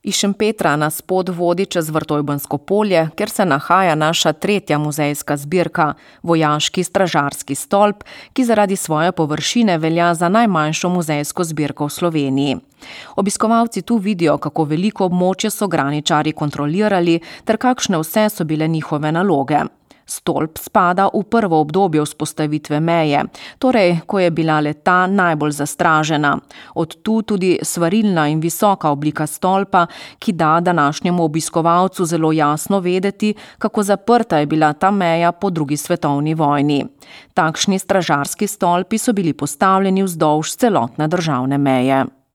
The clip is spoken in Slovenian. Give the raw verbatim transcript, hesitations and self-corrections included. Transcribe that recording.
Iz Šempetra nas pot vodi čez Vrtojbansko polje, kjer se nahaja naša tretja muzejska zbirka, vojaški stražarski stolp, ki zaradi svoje površine velja za najmanjšo muzejsko zbirko v Sloveniji. Obiskovalci tu vidijo, kako veliko območje so graničarji kontrolirali ter kakšne vse so bile njihove naloge. Stolp spada v prvo obdobje vzpostavitve meje, torej, ko je bila le-ta najbolj zastražena. Od tu tudi svarilna in visoka oblika stolpa, ki da današnjemu obiskovalcu zelo jasno vedeti, kako zaprta je bila ta meja po drugi svetovni vojni. Takšni stražarski stolpi so bili postavljeni vzdolž celotne državne meje.